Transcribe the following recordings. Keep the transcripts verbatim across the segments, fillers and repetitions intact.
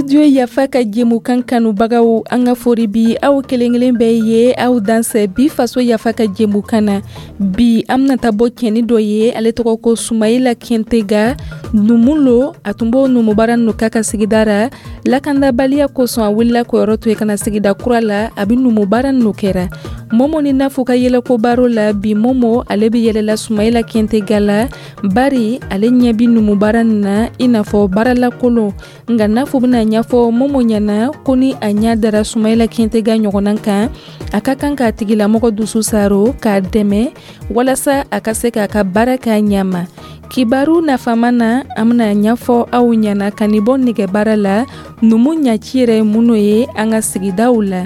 Radio Yafa ka jɛmukan kanubagaw, an ka fori bi aw kelen kelen bɛɛ ye. Aw dansɛ bi Faso Yafa ka jɛmukan na. Bi, an bɛna taa bɔ cɛni dɔ ye, ale tɔgɔ ko Sumayila Kɛntega, numu lo. A tun b'o numubaara ninnu k'a ka sigida ra. Lakandabaliya kosɔn, a wulila k'o to yen ka na sigida kura la, a bɛ numubaara ninnu kɛra. Momo ni Nafu ka yɛlɛko baro la bi, Momo ale bɛ yɛlɛla Sumayila Kɛntega la, bari ale ɲɛ bɛ numubaara nin na i n'a fɔ baaralakolon. Nka Nafu bɛna ɲɛfɔ Momo ɲɛna ko ni a ɲɛ dara Sumayila Kɛntega ɲɔgɔnna kan, a ka kan k'a tigilamɔgɔ dusu saro k'a dɛmɛ walasa a ka se k'a ka baara kɛ a ɲɛ ma. Kibaru nafama na, an bɛna ɲɛfɔ aw ɲɛna ka nin bɔ nɛgɛbaara la, numu ɲaci yɛrɛ ye minnu ye an ka sigidaw la.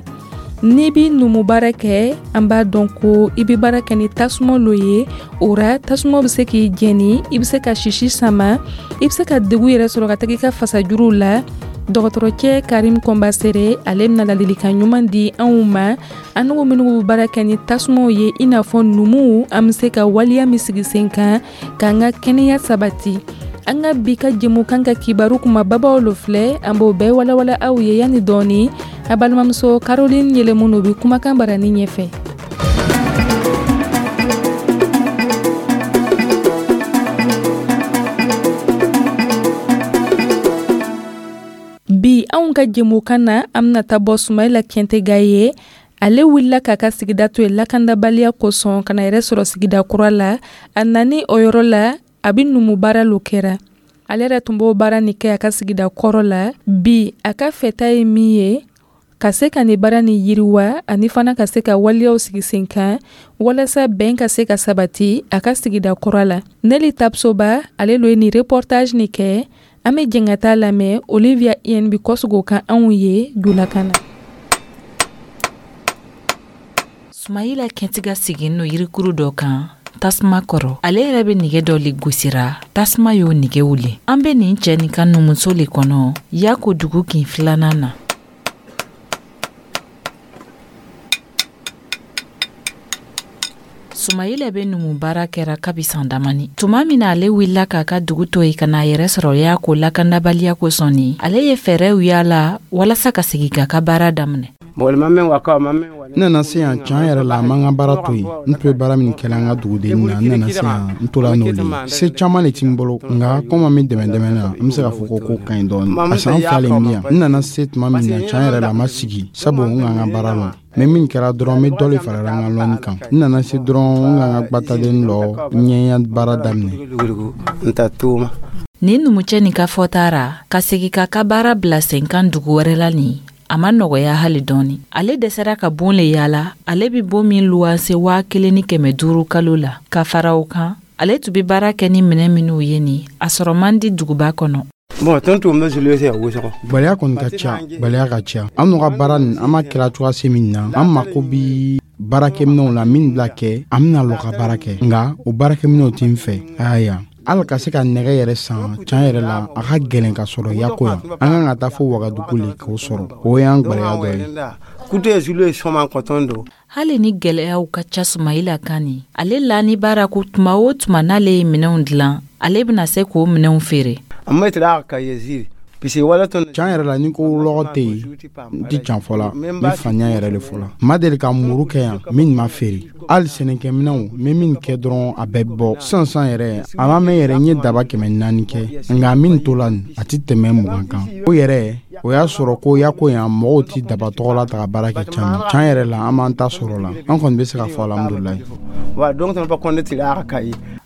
N'i bi numu baara kɛ, an b'a dɔn ko i bɛ baara kɛ ni tasuma lo ye. O ra, tasuma bɛ se k'i jɛni, i bɛ se ka sisi sama, i bɛ se ka degun yɛrɛ sɔrɔ ka taga i ka fasajuruw la. Dɔgɔtɔrɔcɛ Karim Kɔnbasere, ale bɛna ladilikan ɲuman di anw ma, an n'u minnu bɛ baara kɛ ni tasumaw ye i n'a fɔ numuw, an bɛ se ka waleya min sigi sen kan k'an ka kɛnɛya sabati. An ka bi ka jɛmukan ka kibaru kumababaw lo filɛ, an b'o bɛɛ walawala aw ye yanni dɔɔni. A balimamuso Caroline Yɛlɛmunu bɛ kumakan barani ɲɛfɛ. Bi anw ka jɛmukan na, an bɛna taa bɔ Sumayila Kɛntega ye. Ale wulila k'a ka sigida to yen lakandabaliya kosɔn ka na yɛrɛ sɔrɔ sigida kura la. A nani o yɔrɔ la, a bɛ numubaara lo kɛra. Ale yɛrɛ tun b'o baara nin kɛ a ka sigida kɔrɔ la. Bi, a ka fɛta ye min ye, ka se ka nin baara nin yiriwa, ani fana ka se ka waleyaw sigi sen kan walasa bɛn ka se ka sabati a ka sigida kura la. Neli Tapsoba, ale lo ye nin reportage nin kɛ. An bɛ jɛn ka taa lamɛn. Olivia N bi kɔsegin o kan anw ye julakan na. Sumayila Kɛntega sigin no yirikuru dɔ kan tasuma kɔrɔ. Ale yɛrɛ bɛ nɛgɛ dɔ le gosira, tasuma y'o nɛgɛ wuli. An bɛ nin cɛ nin ka numuso le kɔnɔ Yako dugu kin filanan na. Sumayila bɛ numu baara kɛra kabi san damani. Tuma min na ale wulila k'a ka dugu to yen ka n'a yɛrɛ sɔrɔ Yako lakandabaliya kosɔn ni, ale ye fɛɛrɛw yaala walasa ka segin k'a ka baara daminɛ. N nana se yan, can yɛrɛ la, a man ka baara to yen. N tun bɛ baara min kɛla an ka duguden na, n nana se yan, n tola n'o le ye. Se caman le ti n bolo, nka komi an bɛ dɛmɛ dɛmɛ na, n bɛ se k'a fɔ ko ko ka ɲi dɔɔni. A san fila le n bɛ yan. N nana se tuma min na, can yɛrɛ la, a ma sigi, sabu n ka n ka baara lɔn. N bɛ min kɛra dɔrɔn, n bɛ dɔ le farala n ka lɔnni kan. N nana se dɔrɔn, n ka n ka gbataden lɔ, n ye n ka baara daminɛ. Nin numucɛ nin ka fɔta ra, ka segin k'a ka baara bila sen kan dugu wɛrɛ la nin, a ma nɔgɔya hali dɔɔni. Ale dɛsɛra ka bon le yaala, ale bɛ bon min luwanse waa kelen ni kɛmɛ duuru kalo la. Ka fara o kan, ale tun bɛ baara kɛ ni minɛn minnu ye nin, a sɔrɔ man di duguba kɔnɔ. Gwɛlɛya kɔni ka ca, gwɛlɛya ka ca. An n'u ka baara nin, an b'a kɛla cogoya se min na, an mako bi baarakɛminɛw la min bila kɛ an bɛna lɔ ka baara kɛ, nka o baarakɛminɛw tɛ n fɛ. Aya, hali ka se ka nɛgɛ yɛrɛ san, can yɛrɛ la, a ka gɛlɛn ka sɔrɔ Yako yan. An kan ka taa fo Wagadugu le k'o sɔrɔ. O y'an gwɛlɛya dɔ ye. Hali ni gɛlɛyaw ka ca Sumayila kan nin, ale lani baara ko tuma o tuma n'ale ye minɛnw dilan, ale bɛna se k'o minɛnw feere. Can yɛrɛ la, ni ko lɔgɔ tɛ yen, n tɛ can fɔ la, n bɛ faniya yɛrɛ de fɔ la. N ma deli ka muru kɛ yan min ma feere. Hali sɛnɛkɛminɛnw, n bɛ min kɛ dɔrɔn, a bɛɛ bɔ sisan sisan yɛrɛ. A ma mɛn yɛrɛ, n ye daba kɛmɛ naani kɛ, nka min tola nin, a tɛ tɛmɛ mugan kan. O yɛrɛ, o y'a sɔrɔ ko Yako yan, mɔgɔw tɛ daba tɔgɔ la ta ka baara kɛ caman. Can yɛrɛ la, an b'an ta sɔrɔ la. An kɔni bɛ se k'a fɔ alhamdulilayi.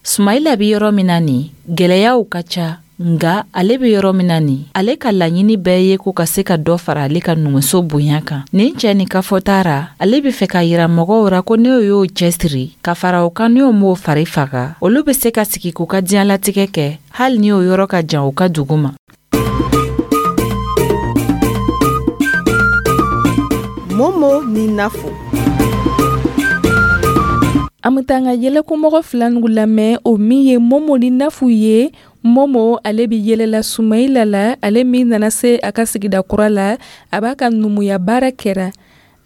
Sumayila bɛ yɔrɔ min na nin, gɛlɛyaw ka ca, nka ale bɛ yɔrɔ min na nin, ale ka laɲini bɛɛ ye ko ka se ka dɔ fara ale ka numuso bonya kan. Nin cɛ nin ka fɔta ra, ale bɛ fɛ ka yira mɔgɔw ra ko n'o y'o cɛsiri ka fara o kan, n'o m'o fari faga, olu bɛ se ka sigi k'u ka diɲɛlatigɛ kɛ hali ni o yɔrɔ ka jan u ka dugu ma. Momo ni Nafo. An bɛ taa an ka yɛlɛkomɔgɔ fila nugu lamɛn, o min ye Momo ni Nafu ye. Momo, ale bɛ yɛlɛla Sumayila la, ale min nana se a ka sigida kura la, a b'a ka numuya baara kɛra.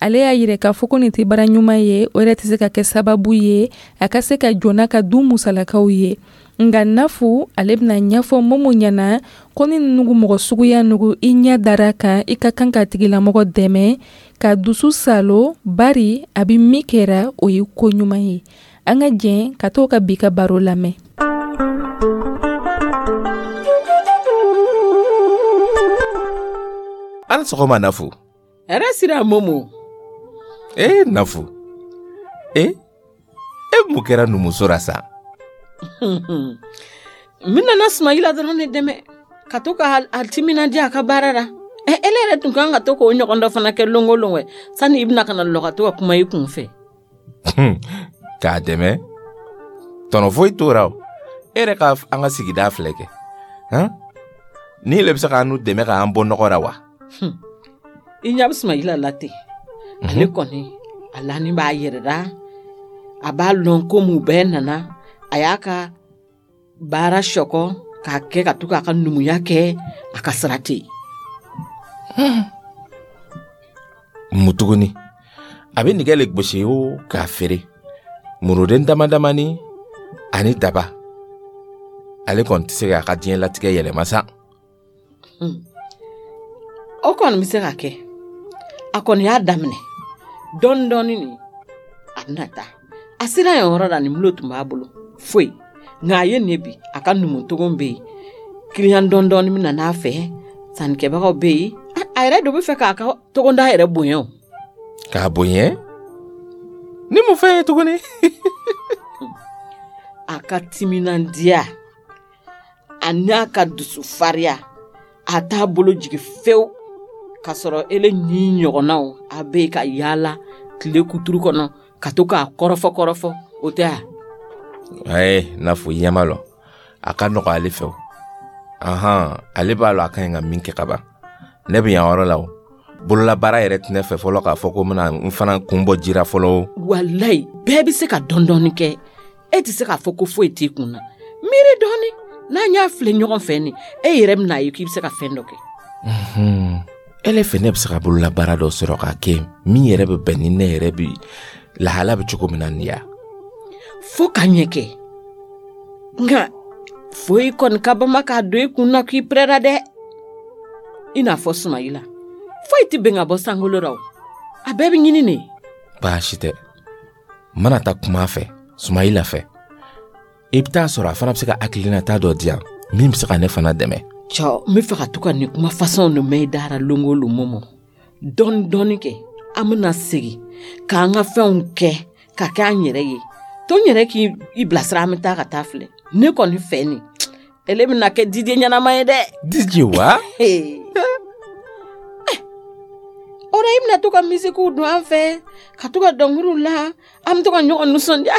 Ale y'a yira k'a fɔ ko nin tɛ baara ɲuman ye, o yɛrɛ tɛ se ka kɛ sababu ye a ka se ka jɔ n'a ka du musalakaw ye. Nka Nafu ale bɛna ɲɛfɔ Momo ɲɛna ko ni nugu mɔgɔ suguya nugu i ɲɛ dara kan, i ka kan ka tigilamɔgɔ dɛmɛ ka dusu salo, bari a bɛ min kɛra o ye ko ɲuman ye. An ka jɛn ka t'o ka bi ka baro lamɛn. An sɔgɔma Nafu. Hɛrɛ sira Momo. Eh Nafu. Eh e mun kɛra numuso la sa? N nana Sumayila dɔrɔn de dɛmɛ ka to ka a timinandiya a ka baara la. Ɛ ele yɛrɛ tun kan ka to k'o ɲɔgɔn dɔ fana kɛ lon o lon wɛ, sani i bɛna ka na lɔ ka to ka kuma i kun fɛ. K'a dɛmɛ? Tɔnɔ foyi t'o la o. E yɛrɛ ka an ka sigida filɛ kɛ. Han? Ni le bɛ se k'an n'u dɛmɛ k'an bɔ nɔgɔ la wa? I ɲɛ bɛ Sumayila la ten. Ale kɔni a lani b'a yɛrɛ la, a b'a lɔn ko mun bɛɛ nana, a y'a ka baara sɔkɔ k'a kɛ ka to k'a ka numuya kɛ, a ka sira tɛ yen. Mun tuguni? A bɛ nɛgɛ le gosi o k'a feere. Muruden dama damani ani daba. Ale kɔni tɛ se k'a ka diɲɛlatigɛ yɛlɛma sa. O kɔni bɛ se ka kɛ. A kɔni y'a daminɛ dɔɔni dɔɔni nin, a bɛna taa. A sera yen yɔrɔ la, nin mulo tun b'a bolo foyi. Nka a ye nin bi, a ka numutogo bɛ yen, kiliyan dɔɔni dɔɔni bɛ na n'a fɛ, sannikɛbagaw bɛ yen. A yɛrɛ de bɛ fɛ k'a ka togoda yɛrɛ bonya o. K'a bonya? Ni mun fɛn ye tuguni? A ka timinandiya a n'a ka dusufariya, a t'a bolo jigin fewu. K'a sɔrɔ ele ni ɲɔgɔnnaw a bɛ ka yaala tile kuturu kɔnɔ ka to k'a kɔrɔfɔ kɔrɔfɔ, o tɛ a? Ayi, Nafu i ɲɛ b'a lɔ, a ka nɔgɔ ale fɛ o. Ahan, ale b'a lɔ a ka ɲi ka min kɛ ka ban. Ne bɛ yan yɔrɔ la o. Bololabaara yɛrɛ tɛ ne fɛ fɔlɔ k'a fɔ ko n bɛna n fana kun bɔ jira fɔlɔ o. Walayi, bɛɛ bɛ se ka dɔɔni dɔɔni kɛ. E tɛ se k'a fɔ ko foyi t'i kun na. Miiri dɔɔni, n'an y'a filɛ ɲɔgɔn fɛ nin, e yɛrɛ bɛna ye k'i bɛ se ka fɛn dɔ kɛ. Ele fɛ ne bɛ se ka bololabaara dɔ sɔrɔ k'a kɛ min yɛrɛ bɛ bɛn ni ne yɛrɛ bi lahala bɛ cogo min na nin ya. Fo ka ɲɛ kɛ. Nka foyi kɔni ka bama k'a don i kun na k'i pɛrɛra dɛ. I n'a fɔ Sumayila. Foyi tɛ bɛn ka bɔ sankolo la o. A bɛɛ bɛ ɲini ne. Baasi tɛ. N mana taa kuma a fɛ, Sumayila fɛ, i bɛ taa sɔrɔ a fana bɛ se ka hakilinata dɔ di yan min bɛ se ka ne fana dɛmɛ. Cɔ, n bɛ fɛ ka to ka nin kuma fasɔnw de mɛn i dara lon o lon Momo. Dɔɔni dɔɔni kɛ, an bɛna segin k'an ka fɛnw kɛ ka kɛ an yɛrɛ ye. To n yɛrɛ k'i bilasira, an bɛ taa ka taa filɛ. Ne kɔni fɛ nin, ele bɛna kɛ D J ɲɛnama ye dɛ. D J wa? O la i bɛna to ka misikiw don an fɛ, ka to ka dɔnkiliw la, an bɛ to ka ɲɔgɔn nisɔndiya.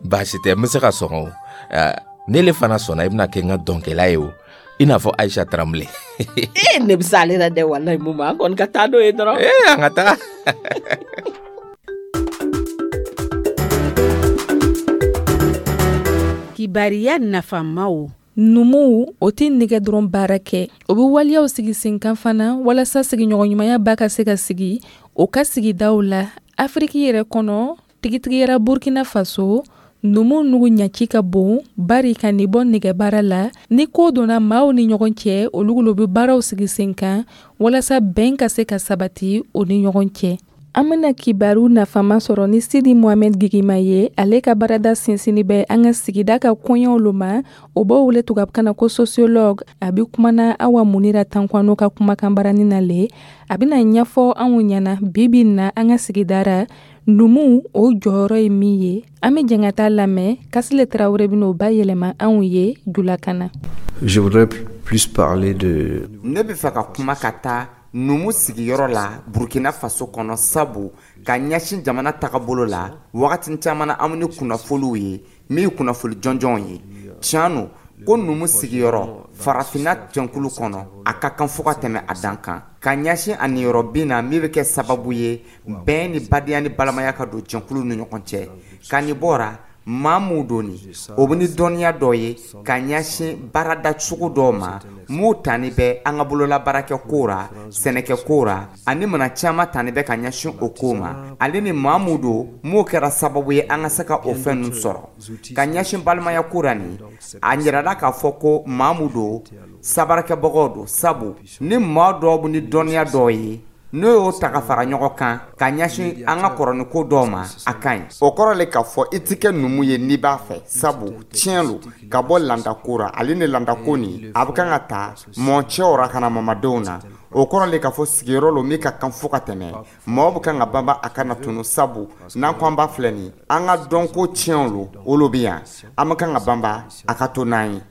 Baasi tɛ, n bɛ se ka sɔn o. Ne le fana sɔnna i bɛna kɛ n ka dɔnkɛla ye o. I n'a fɔ Ayisa Taramule. Ee, ne bɛ se ale la dɛ, walayi Momo, an kɔni ka taa n'o ye dɔrɔn. Ee, an ka taa. Kibariya nafamaw. Numuw o tɛ nɛgɛ dɔrɔn baara kɛ, o bɛ waleyaw sigi sen kan fana walasa sigiɲɔgɔnɲumanya ba ka se ka sigi o ka sigidaw la. Afiriki yɛrɛ kɔnɔ, tigitigiyara Burkina Faso, numu nugu ɲaci ka bon bari ka nin bɔ nɛgɛbaara la. Ni ko donna maaw ni ɲɔgɔn cɛ, olu lo bɛ baaraw sigi sen kan walasa bɛn ka se ka sabati o ni ɲɔgɔn cɛ. An bɛna kibaru nafama sɔrɔ ni Sidi Mohamed Gigima ye. Ale ka baarada sinsinni bɛ an ka sigida ka kɔɲɔw lo ma. O b'o wele tubabukan na ko sociologue. A bɛ kumana Awa Munira Tankwano ka kumakan barani na le. A bɛna ɲɛfɔ anw ɲɛna bi bi in na an ka sigidara numu o jɔyɔrɔ ye min ye. An bɛ jɛn ka taa lamɛn. Kasile Tarawele bɛn'o bayɛlɛma anw ye julakan na. Je voudrais plus parler de Ne bɛ fɛ ka kuma ka taa numu sigiyɔrɔ la Burkina Faso kɔnɔ, sabu ka ɲɛsin jamana tagabolo la, wagati caman na an ni kunnafoniw ye min ye kunnafoni jɔnjɔnw ye. Tiɲɛ don ko numu sigiyɔrɔ farafinna jɛnkulu kɔnɔ, a ka kan fo ka tɛmɛ a dan kan, ka ɲɛsin a niyɔrɔ bin na min bɛ kɛ sababu ye bɛn ni badenya ni balimaya ka don jɛnkulu ni ɲɔgɔn cɛ. Ka nin bɔra Maa mun don nin, o bɛ ni dɔnniya dɔ ye ka ɲɛsin baarada cogo dɔw ma m'u tani bɛ an ka bolola baarakɛ ko ra, sɛnɛkɛ ko ra, ani mana caman tani bɛ ka ɲɛsin o ko ma. Ale ni maa mun don m'o kɛra sababu ye an ka se ka o fɛn ninnu sɔrɔ ka ɲɛsin balimaya ko ra. Nin a yirala k'a fɔ ko maa mun don, sabarakɛbagaw don, sabu ni maa dɔw bɛ ni dɔnniya dɔw ye, n'o y'o ta ka fara ɲɔgɔn kan ka ɲɛsin an ka kɔrɔniko dɔw ma, a ka ɲi. O kɔrɔ le k'a fɔ i tɛ kɛ numu ye n'i b'a fɛ, sabu tiɲɛ lo ka bɔ landako ra. Ale ni landako nin, a bɛ kan ka ta mɔcɛw ra ka na mamadenw na. O kɔrɔ le k'a fɔ sigiyɔrɔ lo min ka kan fo ka tɛmɛ maaw bɛ kan ka banba a kana tunu, sabu n'an ko an b'a filɛ nin, an ka dɔnko tiɲɛw lo, o lo bɛ yan, an bɛ kan ka banba a ka to n'an ye.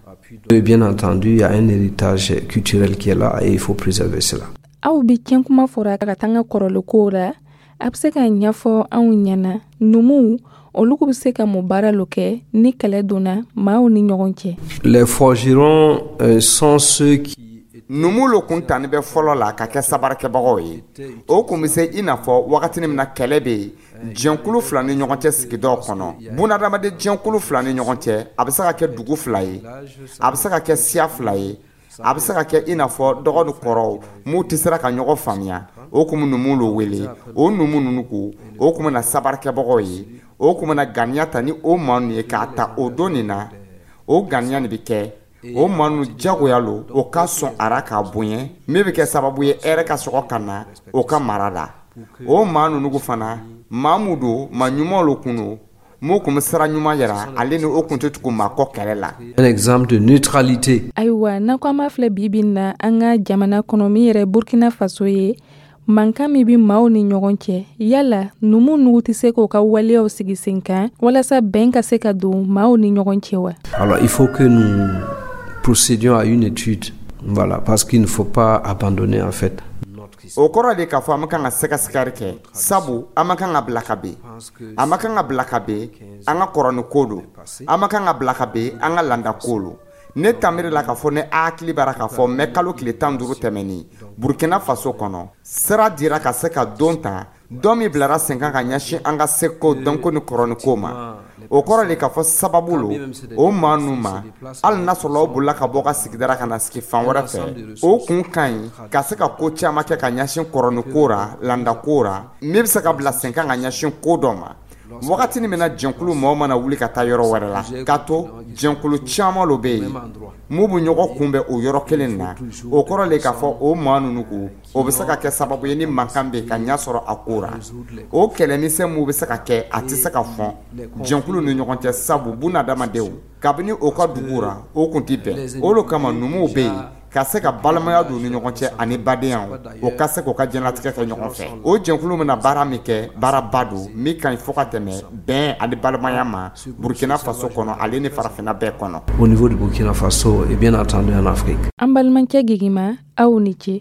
Et bien entendu, il y a un héritage culturel qui est là et il faut préserver cela. Aw bi tiɲɛ kuma fɔra ka taa an ka kɔrɔlenkow la. A bɛ se ka ɲɛfɔ anw ɲɛna, numuw olu bɛ se ka mun baara lo kɛ ni kɛlɛ donna maaw ni ɲɔgɔn cɛ? Les forgerons euh, sont ceux qui Numu lo kun tani bɛ fɔlɔ la ka kɛ sabarakɛbagaw ye. O kun bɛ se i n'a fɔ wagati min na kɛlɛ bɛ yen jɛnkulu fila ni ɲɔgɔn cɛ sigidaw kɔnɔ, bunadamaden jɛnkulu fila ni ɲɔgɔn cɛ. A bɛ se ka kɛ dugu fila ye, a bɛ se ka kɛ siya fila ye, a bɛ se ka kɛ i n'a fɔ dɔgɔ ni kɔrɔw m'u tɛ sera ka ɲɔgɔn faamuya. O kun bɛ numu lo wele. O numu ninnu ko o kun bɛ na sabarakɛbagaw ye, o kun bɛ na ganiya ta ni o maa ninnu ye k'a ta o don nin na. O ganiya nin bɛ kɛ o maa ninnu jagoya lo, o ka sɔn a ra k'a bonya, min bɛ kɛ sababu ye hɛrɛ ka sɔrɔ ka na o ka mara la. O maa ninnu fana, maa mun don, maa ɲumanw lo kun don, m'o kun bɛ sira ɲuman yira. Ale ni o kun tɛ tugu maa kɔ kɛlɛ la. Un exemple de neutralité. Ayiwa, n'an ko an b'a filɛ bi bi in na, an ka jamana kɔnɔ min yɛrɛ Burkina Faso ye, mankan min bɛ maaw ni ɲɔgɔn cɛ, yala numu nugu tɛ se k'o ka waleyaw sigi sen kan walasa bɛn ka se ka don maaw ni ɲɔgɔn cɛ wa? Alors, il faut que nous procédions à une étude, voilà, parce qu'il ne faut pas abandonner en fait. O kɔrɔ de k'a fɔ an ma kan ka sɛgɛsɛgɛli kɛ, sabu an ma kan ka bila ka ben, an ma kan ka bila ka ben an ka kɔrɔni ko don, an ma kan ka bila ka ben an ka landa ko don. Ne tanbiri la k'a fɔ ne hakili b'ara k'a fɔ mɛ kalo tile tan duuru tɛmɛnin, Burkina Faso kɔnɔ, sira dira ka se ka don ta dɔ min bilara sen kan ka ɲɛsin an ka seko dɔnko ni kɔrɔni ko ma. O kɔrɔ de k'a fɔ sababu lo o maa ninnu ma, hali n'a sɔrɔla o bolila ka bɔ ka sigidara ka na sigi fan wɛrɛ fɛ, o kun ka ɲi ka se ka ko caman kɛ ka ɲɛsin kɔrɔni ko ra, landa ko ra, min bɛ se ka bila sen kan ka ɲɛsin ko dɔ ma. Wagati min na jɛnkulu mɔgɔw mana wuli ka taa yɔrɔ wɛrɛ la, k'a to jɛnkulu caman lo bɛ yen mun bɛ ɲɔgɔn kunbɛn o yɔrɔ kelen na. O kɔrɔ le k'a fɔ o maa ninnu ko o bɛ se ka kɛ sababu ye ni mankan bɛ yen ka ɲɛ sɔrɔ a ko ra. O kɛlɛmisɛn mun bɛ se ka kɛ, a tɛ se ka fɔ jɛnkulu ni ɲɔgɔn cɛ, sabu bunadamadenw kabini o ka dugu ra, o kun tɛ bɛn. O de kama numuw bɛ yen ka se ka balimaya don ni ɲɔgɔn cɛ ani badenya, o ka se k'o ka diɲɛlatigɛ kɛ ɲɔgɔn fɛ. O jɛnkulu bɛna baara min kɛ, baaraba don min ka ɲi fo ka tɛmɛ bɛn ani balimaya ma Burkina Faso kɔnɔ, ale ni farafinna bɛɛ kɔnɔ. Au niveau du Burkina Faso et bien entendu en Afrique. An balimakɛ Gegima, aw ni ce.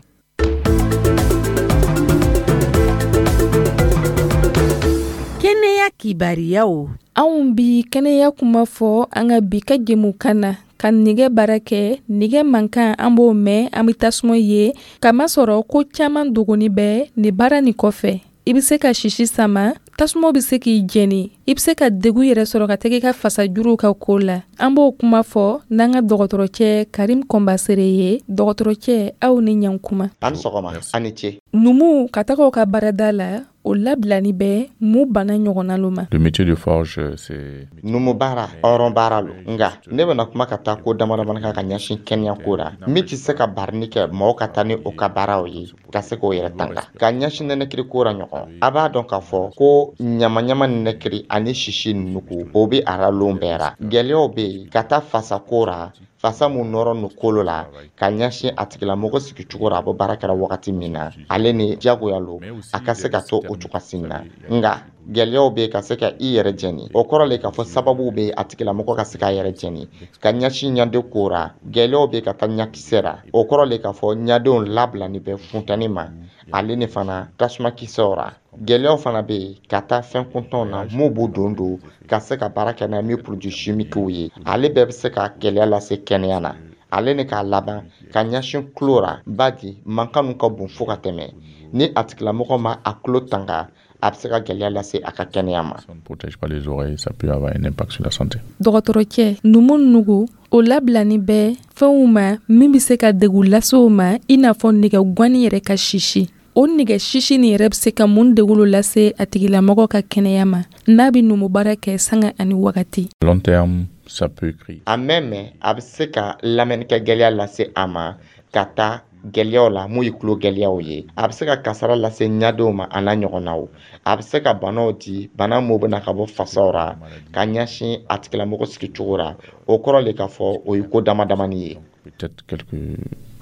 Kɛnɛya kibariyaw. Anw bi kɛnɛya kuma fɔ an ka bi ka jɛmukan na, ka nɛgɛ baara kɛ. Nɛgɛ mankan, an b'o mɛn, an bɛ tasuma ye, kamasɔrɔ ko caman dogoni bɛ nin baara nin kɔfɛ. I bɛ se ka sisi sama, tasuma bɛ se k'i jɛni, i bɛ se ka degun yɛrɛ sɔrɔ ka tɛgɛ ka fasajuruw ka ko la. An b'o kuma fɔ n'an ka dɔgɔtɔrɔcɛ Karim Kɔnbasere ye. Dɔgɔtɔrɔcɛ, aw ni ɲankuma. A ni sɔgɔma, a ni ce. Numuw ka taga u ka baarada la, o labilani bɛ mun bana ɲɔgɔnna lo ma? Le métier de forge, c'est Numu baara, hɔrɔn baara lo. Nka ne bɛna kuma ka taa ko dama damani kan ka ɲɛsin kɛnɛya ko la min tɛ se ka barini kɛ mɔgɔw ka taa ni o ka baaraw ye ka se k'o yɛrɛ tanga ka ɲɛsin nɛnɛkiri ko la ɲɔgɔn. A b'a dɔn k'a fɔ ko ɲamaɲama nɛnɛkiri ani sisi nugu, o bɛ a la lon bɛɛ ra. Gɛlɛyaw bɛ yen ka taa fasa ko ra, fasa mun nɔrɔ nu kolo la ka ɲɛsin a tigilamɔgɔ sigicogo ra, a bɛ baara kɛra wagati min na, ale ni jagoya lo a ka se ka to o cogoya na. Nka gɛlɛyaw bɛ ka se ka i yɛrɛ jɛni, o kɔrɔ le k'a fɔ sababu bɛ a tigilamɔgɔ ka se k'a yɛrɛ jɛni ka ɲɛsin ɲaden ko ra. Gɛlɛyaw bɛ ka taa ɲakisɛ ra, o kɔrɔ le k'a fɔ ɲadenw labilani bɛ funtɛni ma, ale ni fana tasuma kisɛw ra. Gɛlɛyaw fana bɛ yen ka taa fɛn kuntanw na mun b'u don don ka se ka baara kɛ n'a min produit chimiques ye, ale bɛɛ bɛ se ka gɛlɛya lase kɛnɛya na. Ale ni k'a laban ka ɲɛsin tulo ra, badi mankan ninnu ka bon fo ka tɛmɛ. Ni a tigilamɔgɔ ma a tulo tanga, a bɛ se ka gɛlɛya lase a ka kɛnɛya ma. Si on ne protège pas les oreilles, ça peut avoir un impact sur la santé. Dɔgɔtɔrɔcɛ, numu nugu o labilani bɛ fɛnw ma min bɛ se ka degun lase o ma, i n'a fɔ nɛgɛ gwani yɛrɛ ka sisi. O nɛgɛ sisi nin yɛrɛ bɛ se ka mun degun lo lase a tigilamɔgɔ ka kɛnɛya ma n'a bɛ numu baara kɛ sanga ani wagati? Long terme, ça peut créer. A mɛn mɛn, a bɛ se ka lamɛnnikɛ gɛlɛya lase a ma ka taa gɛlɛyaw la mun ye tulo gɛlɛyaw ye. A bɛ se ka kasara lase ɲadenw ma, a n'a ɲɔgɔnnaw. A bɛ se ka banaw di, bana mun bɛ na ka bɔ fasaw ra ka ɲɛsin a tigilamɔgɔ sigicogo ra. O kɔrɔ le k'a fɔ o ye ko dama damani ye. Peut-être quelques,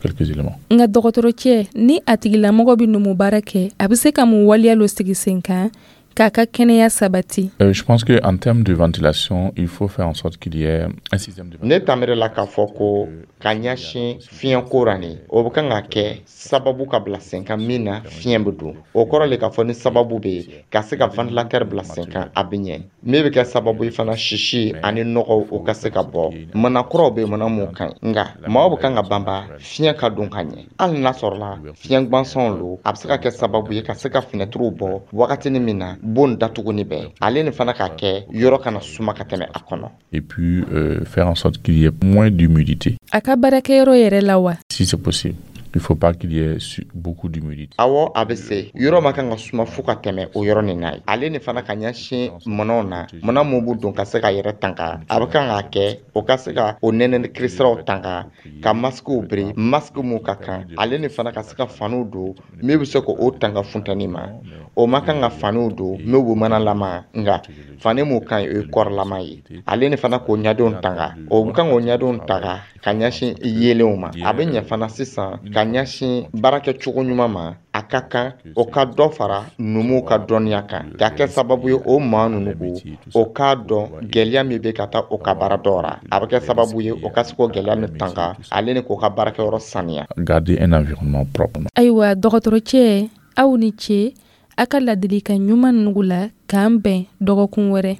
quelques éléments. Nka dɔgɔtɔrɔcɛ, ni a tigilamɔgɔ bɛ numu baara kɛ, a bɛ se ka mun waleya lo sigi sen kan k'a ka kɛnɛya sabati? Euh, je pense qu'en termes de ventilation, il faut faire en sorte qu'il y ait un système de Ne tamere la k'a fɔ ko ka ɲɛsin fiɲɛko ra nin, o bɛ kan ka kɛ sababu ka bila sen kan min na fiɲɛ bɛ don. O kɔrɔ le k'a fɔ ni sababu bɛ yen ka se ka ventilateur bila sen kan, a bɛ ɲɛ. Min bɛ kɛ sababu ye fana, sisi ani nɔgɔw, o ka se ka bɔ. Mana kuraw bɛ yen, mana mun ka ɲi, nka maaw bɛ kan ka banba fiɲɛ ka don ka ɲɛ. Hali n'a sɔrɔla fiɲɛ gansanw lo, a bɛ se ka kɛ sababu ye ka se ka finɛtiriw bɔ wagatinin min na bon datuguni bɛɛ, ale ni fana ka kɛ yɔrɔ kana suma ka tɛmɛ a kɔnɔ. Et puis euh, faire en sorte qu'il y ait moins d'humidité. A ka baarakɛyɔrɔ yɛrɛ la wa? Si c'est possible. Il ne faut pas qu'il y ait su- beaucoup d'humidité. Awɔ, a bɛ se. Yɔrɔ ma kan ka suma fo ka tɛmɛ o yɔrɔ nin na ye. Ale ni fana ka ɲɛsin mɔnɔw na, mɔnɔ mun b'u don ka se ka yɛrɛ tanga, a bɛ kan k'a kɛ o ka se ka o nɛnɛ kirisiraw tanga, ka masikiw biri, masque mun ka kan. Ale ni fana ka se ka faniw don min bɛ se k'o tanga funtɛni ma. O ma kan ka faniw don min b'u manalama, nka fani mun ka ɲi, o ye kɔrɔlama ye. Ale ni fana k'o ɲadenw tanga, o bɛ kan k'o ɲadenw tanga ka ɲɛsin yelenw ma. A bɛ ɲɛ fana sisan ka ɲɛsin baarakɛcogo ɲuman ma. A ka kan o ka dɔ fara numuw ka dɔnniya kan, ka kɛ sababu ye o maa ninnu ko o k'a dɔn gɛlɛya min bɛ ka taa o ka baara dɔ ra. A bɛ kɛ sababu ye o ka se k'o gɛlɛya min tanga, ale ni k'o ka baarakɛyɔrɔ saniya. Garder un environnement propre. Ayiwa, dɔgɔtɔrɔcɛ, aw ni ce a ka ladilikan ɲuman nugu la. K'an bɛn dɔgɔkun wɛrɛ.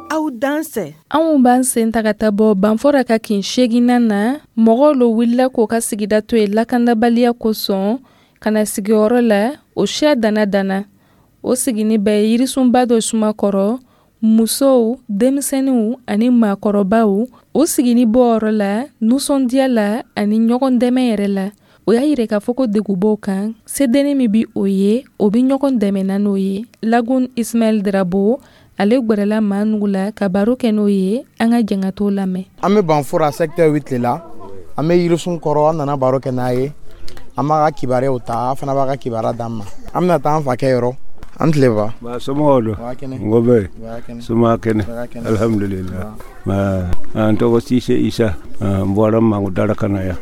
Aw dansɛ. Anw b'an sen ta ka taa bɔ Banfora ka kin seeginnan na. Mɔgɔw lo wulila k'o ka sigida to yen lakandabaliya kosɔn ka na sigiyɔrɔ la o siya dana dana. O sigini bɛ yirisunba dɔ suma kɔrɔ, musow, denmisɛnninw ani maakɔrɔbaw. O sigini bɔyɔrɔ la nisɔndiya la ani ɲɔgɔn dɛmɛ yɛrɛ la. O y'a yira k'a fɔ ko degun b'o kan, sedenni min bi o ye, o bi ɲɔgɔn dɛmɛ n'o ye. Lagun Ismaɛl Drabo, ale gwɛrɛla maa nugu la ka baro kɛ n'o ye. An ka jɛn ka t'o lamɛn. An bɛ Banfora secteur huit le la. An bɛ yirisun kɔrɔ. An nana baro kɛ n'a ye, an b'a ka kibaruyaw ta, a fana b'a ka kibaruya d'an ma. An bɛna taa an fakɛ yɔrɔ. An tile ba. Ba, somɔgɔw don? N ko bɛ soma kɛnɛ, alhamdulillah. An tɔgɔ Sise Isa. N bɔra Mangodara ka na yan.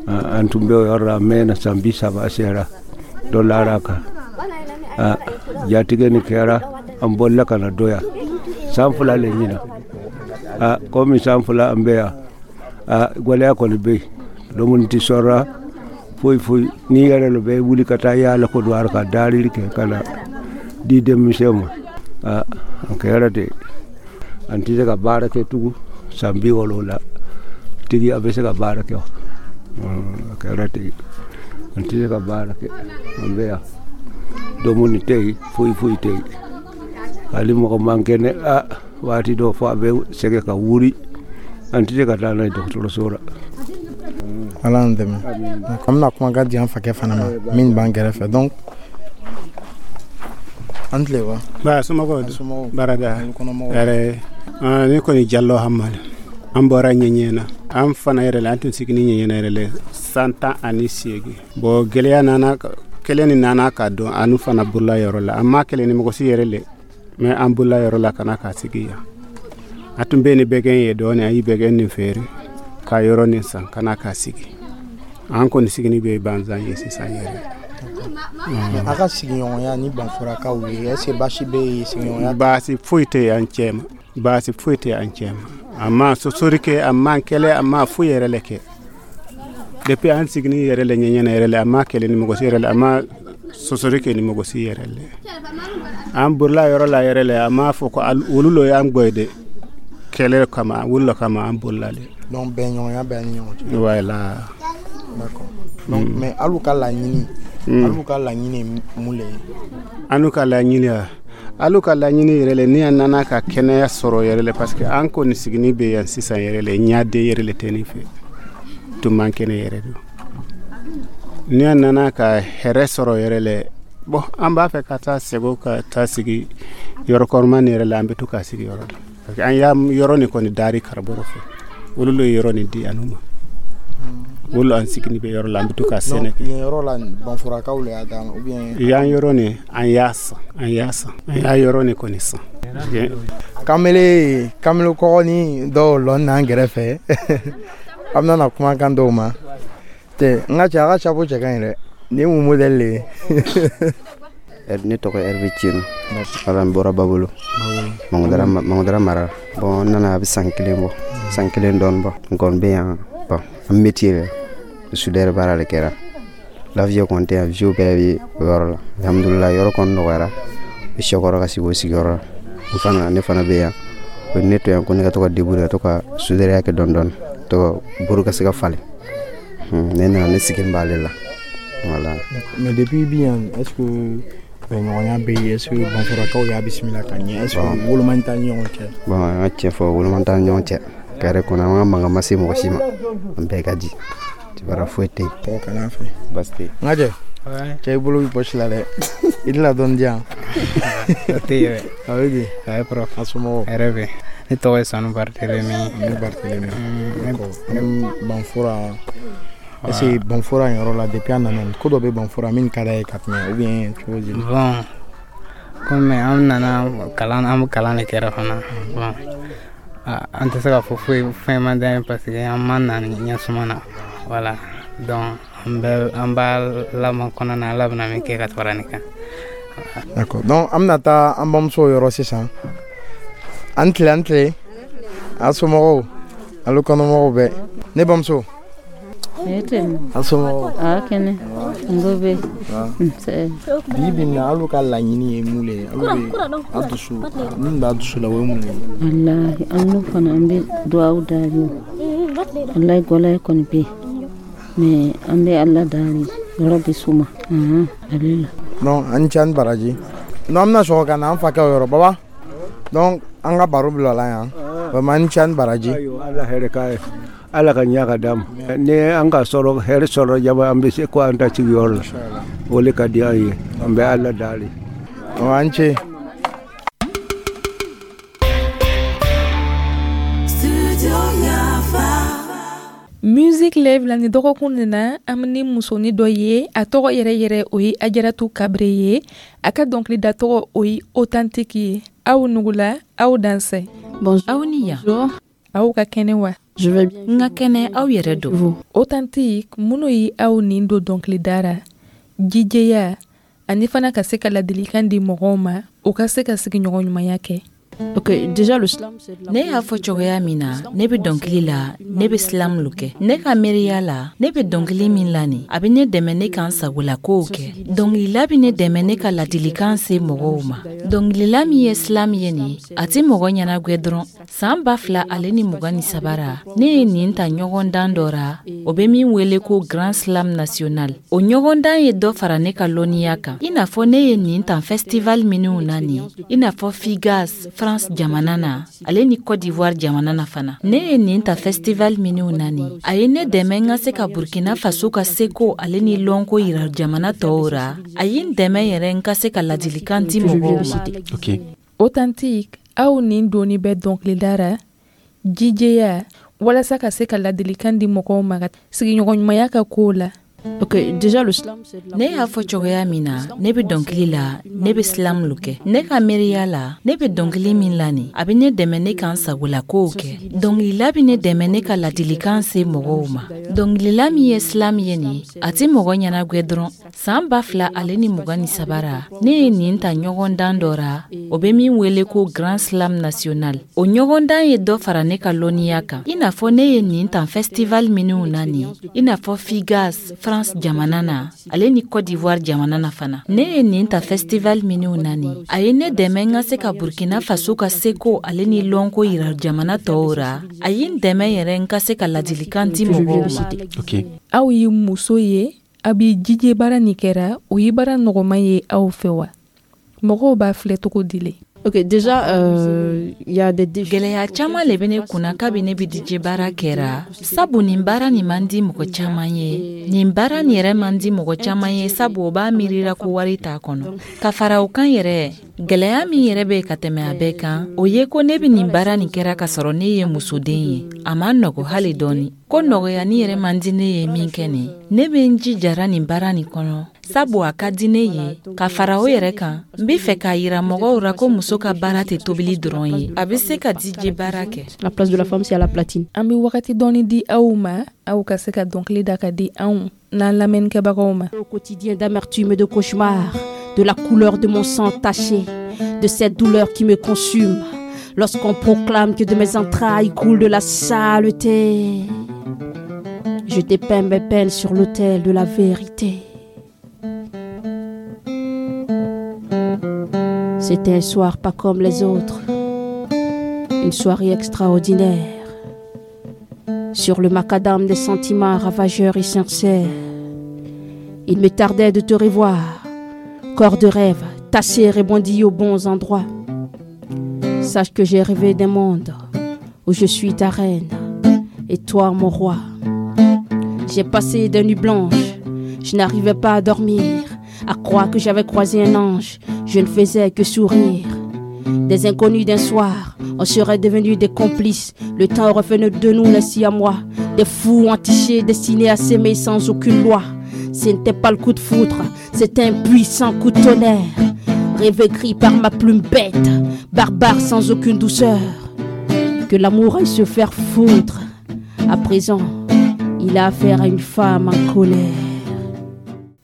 An tun bɛ o yɔrɔ la, a mɛnna, san bi saba sera dɔ lara kan. Jatigɛ nin kɛra, an bolila ka na dɔ yan san fila le ɲina. Komi san fila an bɛ yan, gɛlɛya kɔni bɛ yen, dumuni tɛ sɔrɔ foyi foyi. N'i yɛrɛ lo bɛ wuli ka taa yaala ko don ka darili kɛ ka na di denmisɛnw ma. A kɛra ten, an tɛ se ka baara kɛ tugun. San bi wɔɔrɔ la tigi a bɛ se ka baara kɛ. A kɛra ten, an tɛ se ka baara kɛ, an bɛ yan, dumuni tɛ yen, foyi foyi tɛ yen. Hali mɔgɔ man kɛnɛ, a waati dɔ fɔ a bɛ sɛgɛn ka wuli, an tɛ se ka taa n'a ye dɔgɔtɔrɔso la. Ala y'an dɛmɛ. An bɛna kumakan di an fakɛ fana ma min b'an kɛrɛfɛ. Donc an tile wa. Ba, somɔgɔw, barada yɛrɛ. Ne kɔni Jalo Hamali. An bɔra ɲɛɲɛ na, an fana yɛrɛ la, an tun sigini ɲɛɲɛ yɛrɛ la san tan ani seegin. Bon, gɛlɛya nana, kɛlɛ ni nana ka dɔn an fana bolola yɔrɔ la. An ma kɛlɛ ni mɔgɔ si yɛrɛ le, mais an bolola yɔrɔ la ka na k'a sigi yan. A tun bɛ ni bɛgɛn ye dɔɔnin, a y'i bɛgɛn nin feere ka yɔrɔ nin san ka na k'a sigi. An kɔni sigini bɛ banzan ye sisan yɛrɛ. A ka sigiɲɔgɔnya ni Banforakaw ye, est ce que baasi bɛ yen sigiɲɔgɔnya? Baasi foyi tɛ an cɛ ma, baasi foyi tɛ an cɛ ma. A ma sosori kɛ, a ma kɛlɛ, a ma foyi yɛrɛ le kɛ. Depuis an sigini yɛrɛ le ɲɛɲɛna yɛrɛ le, a ma kɛlɛ ni mɔgɔ si yɛrɛ le, a ma sosori kɛ ni mɔgɔ si yɛrɛ le. An bolila yɔrɔ la yɛrɛ le, a m'a fɔ ko olu lo y'an gbɔ de kɛlɛ kama, olu lo kama an bolila le. Donc bɛnɲɔgɔnya bɛ ni ɲɔgɔn cɛ. Voilà. D'accord. Donc mais alu ka laɲini, alu ka laɲini ye mun le ye? Anu ka laɲini wa, alu ka laɲini yɛrɛ le, ni an nana ka kɛnɛya sɔrɔ yɛrɛ le, parce que an kɔni sigini bɛ yan sisan yɛrɛ le, ɲaden yɛrɛ le tɛ nin fɛ, tun man kɛnɛ yɛrɛ don. Ni an nana ka hɛrɛ sɔrɔ yɛrɛ le, bon, an b'a fɛ ka taa sego ka taa sigi yɔrɔ kɔrɔma nin yɛrɛ la, an bɛ to ka sigi yɔrɔ la, parce que an y'a yɔrɔ nin kɔni dari karabɔrɔ fɛ, olu le ye yɔrɔ nin di anu ma, olu an sigini bɛ yɔrɔ la, an bɛ to ka sɛnɛ kɛ. Yen yɔrɔ la, Banfurakaw le y'a d'a ma ou bien? Yan yɔrɔ nin, an y'a san, an y'a san, an y'a yɔrɔ nin kɔni san. Kamalen, kamalen kɔgɔni dɔw lɔn n'an kɛrɛfɛ, an bɛna na kumakan dɔw ma tɛ. N ka cɛ, a ka chapeau cɛ ka ɲi dɛ. Nin ye mun modèle le ye? Ne tɔgɔ Hervé Tieno. Wala, n bɔra Babolo, Mangodara mara. Bon, n nana a bɛ san kelen bɔ, san kelen dɔɔni bɔ. N kɔni bɛ yan. Bon, an métier yɛrɛ soudeur baara de kɛra. Lafiya kɔni tɛ yan, vieux bɛɛ bɛ o yɔrɔ la. Alhamdulillah, yɔrɔ kɔni nɔgɔyara, u sɛkɔrɔ ka sigi o sigiyɔrɔ la. N fana, ne fana bɛ yan, o ye ne to yan ko ne ka to ka débrouiller, ka to ka soudeurya kɛ dɔɔni dɔɔni, to ka buru ka se ka falen. Ne nana, ne sigilen b'ale la, voilà. Mais depuis bi yan, est ce que bɛnɲɔgɔnya bɛ yen? Est ce que Banfurakaw y'a bisimila ka ɲɛ? Est ce que woloma t'an ni ɲɔgɔn cɛ? Bon, an ka tiɲɛ fɔ, woloma t'an ni ɲɔgɔn cɛ. Carré kɔnɔ, an ka mankan ma se mɔgɔ si ma, an bɛɛ ka di, kibaruya foyi tɛ yen. Tɔgɔ kana fɛ. Baasi tɛ yen. N ka cɛ, cɛ, i bolo b'i poche la dɛ, i tɛna dɔɔni di yan? O tɛ yen. A bɛ di? A ye prof. A somɔgɔw? Hɛrɛ bɛ. Ne tɔgɔ ye Sanu Barthélémy. Ne Barthélémy. D'accord. Banfura, est ce que Banfura in yɔrɔ la, depuis a nana, ko dɔ bɛ Banfura min ka d'a ye ka tɛmɛ ou bien cogo di? Bon, komi an nana kalan, an bɛ kalan de kɛra fana. Bon, an tɛ se k'a fɔ foyi fɛn man d'an ye, parce que an ma na ɲɛsuma na. Voilà, donc an bɛ an b'a lamɔ kɔnɔ na, Ala bɛna min kɛ ka fara nin kan. D'accord. Donc an bɛna taa an bamusow yɔrɔ sisan. An tile, an tile. A somɔgɔw, alo kɔnɔmɔgɔw bɛɛ. Ne bamuso. A somɔgɔw? A kɛnɛ, n ko bɛ. Bi bi in na, alu ka laɲini ye mun le ye? Alu bɛ a dusu min b'a dusu la, o ye mun ye? Walahi, an n'u fana, an bɛ duwawu dari. Walahi, gɔlɛya kɔni bɛ yen, mais an bɛ Ala dari, yɔrɔ bɛ suma ale la. Donc an ni ce, an baraji. Donc an bɛna sɔgɔ ka na an fakɛw yɔrɔ, baba. Donc an ka baro bila la yan. Vraiment, an ni ce, an baraji. Ala hɛrɛ k'a ye, Ala ka ɲa ka d'an ma. Ni an ka sɔrɔ hɛrɛ sɔrɔ jama, an bɛ se ko an ta sigiyɔrɔ la, o le ka di an ye, an bɛ Ala dali. An ce. Music Live la, ni dɔgɔkun nin na, an bɛ ni musonin dɔ ye. A tɔgɔ yɛrɛ yɛrɛ, o ye Ajaratu Kabre ye. A ka dɔnkilida tɔgɔ, o ye Authentique ye. Aw nugula, aw dansɛ. Aw ni yan. Aw ka kɛnɛ wa? N ka kɛnɛ, aw yɛrɛ don? Authentique, minnu ye aw nin don dɔnkilida ra, jijɛya ani fana ka se ka ladilikan di mɔgɔw ma, u ka se ka sigiɲɔgɔn ɲumanya kɛ. Ne y'a fɔ cogoya min na, ne bɛ dɔnkili la, ne bɛ slam lo kɛ. Ne ka miiriya la, ne bɛ dɔnkili min la nin, a bɛ ne dɛmɛ ne ka n sagola kow kɛ. Dɔnkilila bɛ ne dɛmɛ ne ka ladilikan se mɔgɔw ma. Dɔnkilila min ye slam ye nin, a tɛ mɔgɔ ɲɛnagwɛ dɔrɔn. San ba fila ale ni mugan ni saba ra, ne ye nin ta ɲɔgɔndan dɔ ra, o bɛ min wele ko Grand Slam National. O ɲɔgɔndan ye dɔ fara ne ka lɔnniya kan, i n'a fɔ ne ye nin ta festival minnu na nin, i n'a fɔ Figas France jamana na, ale ni Côte d'Ivoire jamana na fana. Ne ye nin ta festival minnu na nin, a ye ne dɛmɛ n ka se ka Burkina Faso ka seko ale ni lɔnko yira jamana tɔw ra. A ye n dɛmɛ yɛrɛ n ka se ka ladilikan di mɔgɔw ma. Authentique, aw nin donni bɛ dɔnkilida ra, jijɛya, walasa ka se ka ladilikan di mɔgɔw ma sigiɲɔgɔn ɲumanya ka kow la. Ne y'a fɔ cogoya min na, ne bɛ dɔnkili la, ne bɛ slam lo kɛ. Ne ka miiriya la, ne bɛ dɔnkili min la nin, a bɛ ne dɛmɛ ne ka n sagola kow kɛ. Dɔnkilila bɛ ne dɛmɛ ne ka ladilikan se mɔgɔw ma. Dɔnkilila min ye slam ye nin, a tɛ mɔgɔ ɲɛnagwɛ dɔrɔn. San ba fila ale ni mugan ni saba ra, ne ye nin ta ɲɔgɔndan dɔ ra, o bɛ min wele ko Grand Slam National. O ɲɔgɔndan ye dɔ fara ne ka lɔnniya kan, i n'a fɔ ne ye nin ta festival minnu na nin, i n'a fɔ Figas France France jamana na, ale ni Côte d'Ivoire jamana na fana. Ne ye nin ta festival minnu na nin, a ye ne dɛmɛ n ka se ka Burkina Faso ka seko ale ni lɔnko yira jamana tɔw ra. A ye n dɛmɛ yɛrɛ n ka se ka ladilikan di mɔgɔw ma. Ok. Aw ye muso ye, a bɛ D J baara nin kɛra, o ye baara nɔgɔman ye aw fɛ wa? Mɔgɔw b'a filɛ cogo di le? Ok, déjà, euh, il y a des défis. Gɛlɛya caman le bɛ ne kunna kabi ne bɛ D J baara kɛra, sabu nin baara nin man di mɔgɔ caman ye. Nin baara nin yɛrɛ man di mɔgɔ caman ye, sabu o b'a miirira ko wari t'a kɔnɔ. Ka fara o kan yɛrɛ, gɛlɛya min yɛrɛ bɛ ka tɛmɛ a bɛɛ kan, o ye ko ne bɛ nin baara nin kɛra ka sɔrɔ ne ye musoden ye. A ma nɔgɔ hali dɔɔni. Ko nɔgɔyani yɛrɛ man di ne ye min kɛ nin, ne bɛ n jijara nin baara nin kɔnɔ, sabu a ka di ne ye. Ka fara o yɛrɛ kan, n be fɛ k'a yira mɔgɔw ra ko muso ka baara tɛ tobili dɔrɔn ye, a be se ka D J baara kɛ. La place de la femme, c'est à la platine. An bɛ wagati dɔɔni di aw ma, aw ka se ka dɔnkili da ka di anw n'an lamɛnnikɛbagaw ma. Au quotidien d'amertume et de cauchemar, de la couleur de mon sang taché, de cette douleur qui me consume, lorsqu'on proclame que de mes entrailles coule de la saleté. Je dépeins mes peines sur l'autel de la vérité. C'était un soir pas comme les autres, une soirée extraordinaire. Sur le macadam des sentiments ravageurs et sincères, il me tardait de te revoir, corps de rêve, tassé et rebondi aux bons endroits. Sache que j'ai rêvé d'un monde où je suis ta reine et toi mon roi. J'ai passé des nuits blanches, je n'arrivais pas à dormir, à croire que j'avais croisé un ange, je ne faisais que sourire. Des inconnus d'un soir, on serait devenus des complices. Le temps aurait fait de nous les siamois, des fous entichés destinés à s'aimer sans aucune loi. Ce n'était pas le coup de foudre, c'était un puissant coup de tonnerre. Rêve écrit par ma plume bête, barbare sans aucune douceur. Que l'amour aille se faire foutre. À présent, il a affaire à une femme en colère.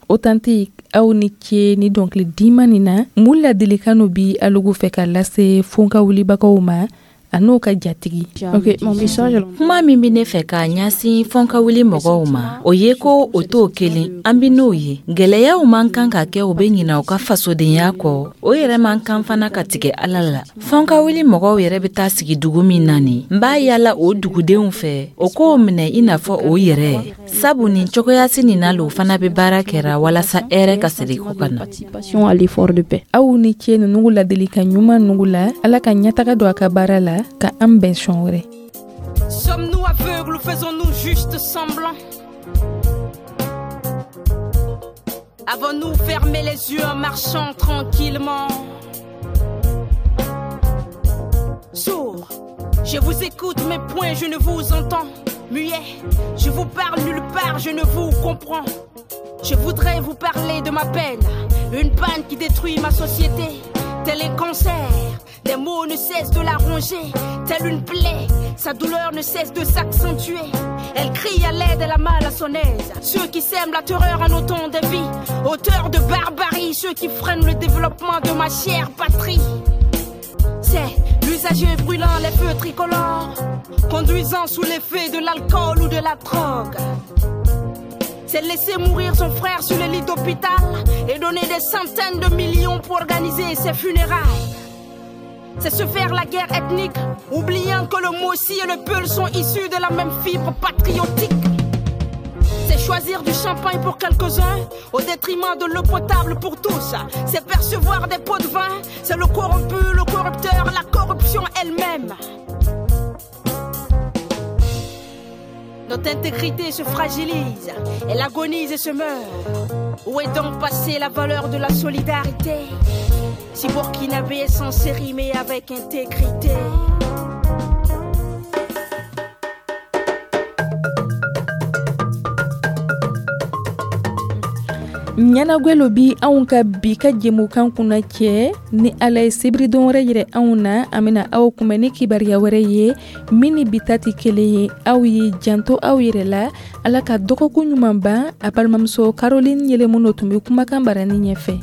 Authentique, aw ni ce ni dɔnkili dima nin na. Mun ladilikan no bi alugu fɛ ka lase fonka wulibagaw ma a n'o ka jatigi? Ok, mon message. Kuma min bɛ ne fɛ k'a ɲɛsin fɔnka wuli mɔgɔw ma, o ye ko o t'o kelen an bi n'o ye. Gɛlɛyaw man kan ka kɛ o bɛ ɲina u ka fasodenya kɔ, o yɛrɛ man kan fana ka tigɛ Ala la. Fɔnka wuli mɔgɔw yɛrɛ bɛ taa sigi dugu min na nin, n b'a yala o dugudenw fɛ o k'o minɛ i n'a fɔ o yɛrɛ, sabu nin cogoyasi nin na lo fana bɛ baara kɛra walasa hɛrɛ ka segin ko ka na. Participation à l'effort de paix. Aw ni ce ninnu ladilikan ɲuman nugu la. Ala ka ɲɛtaga don a ka baara la, ka an bɛn sɔn wɛrɛ. Sommes-nous aveugles ou faisons-nous juste semblant? Avons-nous fermé les yeux en marchant tranquillement? Sourd, je vous écoute, mais point je ne vous entends. Muet, je vous parle nulle part, je ne vous comprends. Je voudrais vous parler de ma peine, une panne qui détruit ma société, tel un cancer. Des mots ne cessent de la ronger, telle une plaie, sa douleur ne cesse de s'accentuer. Elle crie à l'aide, elle a mal à son aise. Ceux qui sèment la terreur en autant de vies, auteurs de barbarie, ceux qui freinent le développement de ma chère patrie. C'est l'usager brûlant les feux tricolores, conduisant sous l'effet de l'alcool ou de la drogue. C'est laisser mourir son frère sur le lit d'hôpital et donner des centaines de millions pour organiser ses funérailles. C'est se faire la guerre ethnique, oubliant que le Mossi et le Peul sont issus de la même fibre patriotique. C'est choisir du champagne pour quelques-uns, au détriment de l'eau potable pour tous. C'est percevoir des pots de vin, c'est le corrompu, le corrupteur, la corruption elle-même. Notre intégrité se fragilise, elle agonise et se meurt. Où est donc passée la valeur de la solidarité? Si Burkinabé est censé rimer avec intégrité. Ɲɛnagwɛlo bi anw ka bi ka jɛmukan kunna cɛ. Ni Ala ye sibiridon wɛrɛ yɛrɛ anw na, an bɛna aw kunbɛn ni kibaruya wɛrɛ ye min ni bi ta tɛ kelen ye. Aw ye janto aw yɛrɛ la. Ala ka dɔgɔkun ɲuman ban. A balimamuso Caroline Yɛlɛmuno tun bɛ kumakan barani ɲɛfɛ.